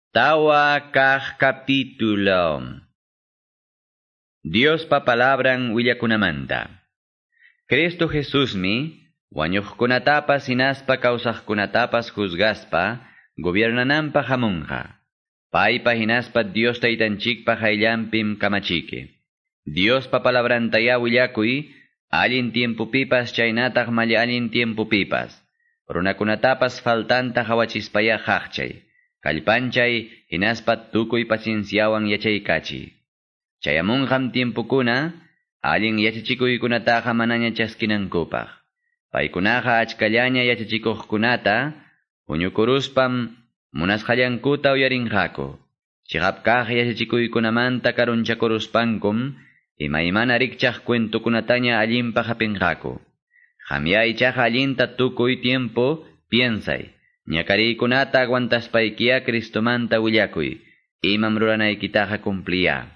Tawa kaq capítulo. Diospa palabran willakunamanta. Cristo Jesusmi wañuqkunatapas hinaspa kawsaqkunatapas juzgaspa gobiernananpaq hamunqa. Paypa hinaspa Dios taytanchikpa hayllanpim kamachiki. Diospa palabrantayá willakuy allin tiempopipas chaynataq malla allin tiempopipas. Runakunatapas faltanta hawachispayá haqchay. Kallpanchay hinaspa tukuy pacienciawan yachaykachiy. Chayamunqam tiempokuna allin yachachikuykunataqa manaña chaskinankupaq. Paykunaqa achkallaña yachachikuqkunata huñukuruspam munasqallankuta uyarinqaku. Chiqap kaq yachachikuykunamanta karunchakuruspankum imaymana rikchaq cuentokunataña allinpaq hapinqaku. Qamya ichaqa allinta tukuy tiempo piensay. Ñakariykunata aguantaspaykiya Cristomanta willakuy, imam ruranaykitaqa cumpliya.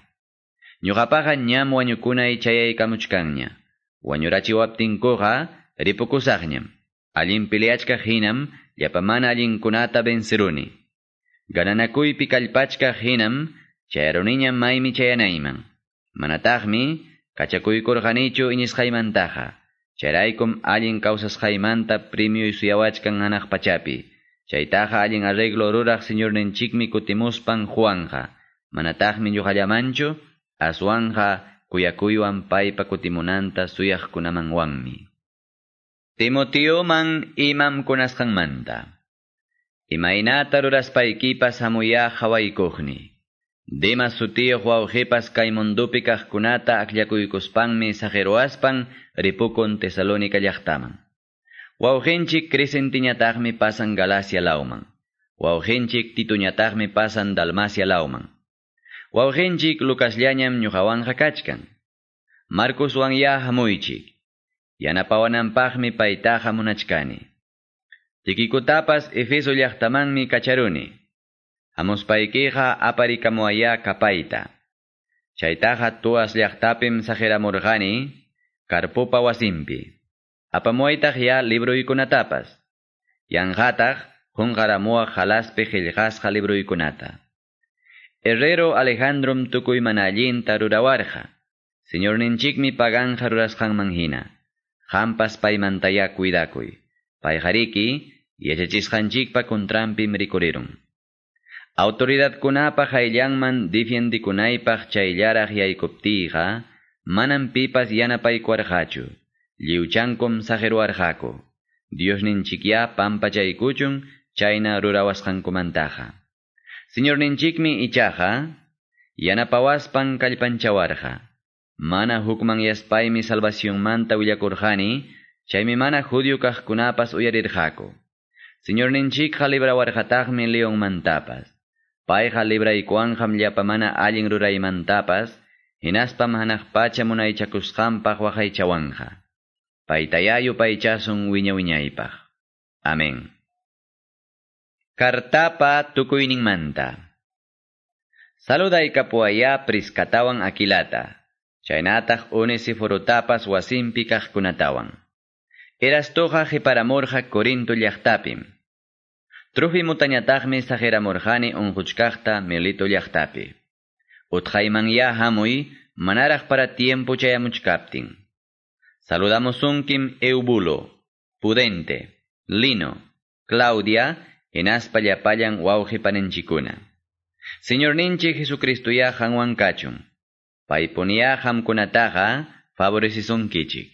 Ñuqapaqa ñam wañukunay chayaykamuchkanña. Wañurachiwaptinkuqa ripukusaqñam. Allin peleachkaq hinam llapa mana allinkunata venceruni. Gananakuypi kallpachkaq hinam chayaruniñam maymi chayanayman. Manataqmi kachakuykurqanichu iñisqaymantaqa. Chayraykum allin kawsasqaymanta premio suyawachkan hanaq pachapi. Chaytaqa allin arreglo ruraq Señorninchikmi kutimuspan Juanja. Manataqmi ñuqallamanchu, aswanja kuyakuywan paypa kutimunanta suyaqkunamanwanmi. Timoteoman imam kunasqanmanta. Imaynata ruraspaykipas hamuyá hawaykuqni. Demas sutiyuq wawqipas kay mundupi kaqkunata akllakuykuspanmi saqiruwaspan ripukun Tesalónica llaqtaman. Wawqinchik Crescentiñataqmi pasan Galacia lawman. Wawqinchik Tituñataqmi pasan Dalmacia lawman. Wawqinchik Lucasllañam ñuqawanqa kachkan. Marcoswan ya hamuychik. Yanapawananpaqmi paytaqa munachkani. Tikikutapas Efeso llaqtamanmi kacharuni. Hamuspaykiqa aparikamuwayá kapayta. Chaytaqa Tuas llaqtapim saqiramurqani Carpopa wasinpi. Apamuwaytaq ya libruykunatapas. Yanqataq qunqaramuwaq halaspi qillqasqa libruykunata. Herrero Alejandrom tukuy mana allinta rurawarqa. Señorninchikmi paganja rurasqanman hina. Qampas paymantayá cuidakuy. Payqariki yachachisqanchikpa contranpim rikurirun. Autoridadkunapa hayllanman difiendikunaypaq chayllaraq yaykuptiyqa, manam pipas yanapaykuwarqachu. Lliwchankum saqiruwarqaku. Diosninchikyá pampachaykuchun chayna rurawasqankumantaqa. Señorninchikmi ichaqa yanapawaspan kallpanchawarqa. Mana hukmanyaspaymi salvacionmanta willakurqani, chaymi mana judío kaqkunapas uyarirqaku. Señorninchikqa librawarqataqmi leonmantapas. Payqa libraykuwanqam llapa mana allin ruraymantapas, hinaspam hanaq pacha munaychakusqanpaq waqaychawanqa. Paytayá yupaychasun wiña wiñaypaq. Amén. Kartapa tukuyninmanta. Saludaykapuwayá Priscatawan Aquilata. Chaynataq Onesiforutapas wasinpi kaqkunatawan. Erastoqa qiparamurqa Corinto llaqtapim. Trofimutañataqmi saqiramurqani unquchkaqta Melito llaqtapi. Utqaymanyá hamuy manaraq para tiempo chayamuchkaptin. Saludamusunkim Eubulo, Pudente, Lino, Claudia, hinaspa llapallan wawqi paninchikkuna. Señorninchik Jesucristoyá qanwan kachun. Paypuniyá qamkunataqa favorecisunkichik.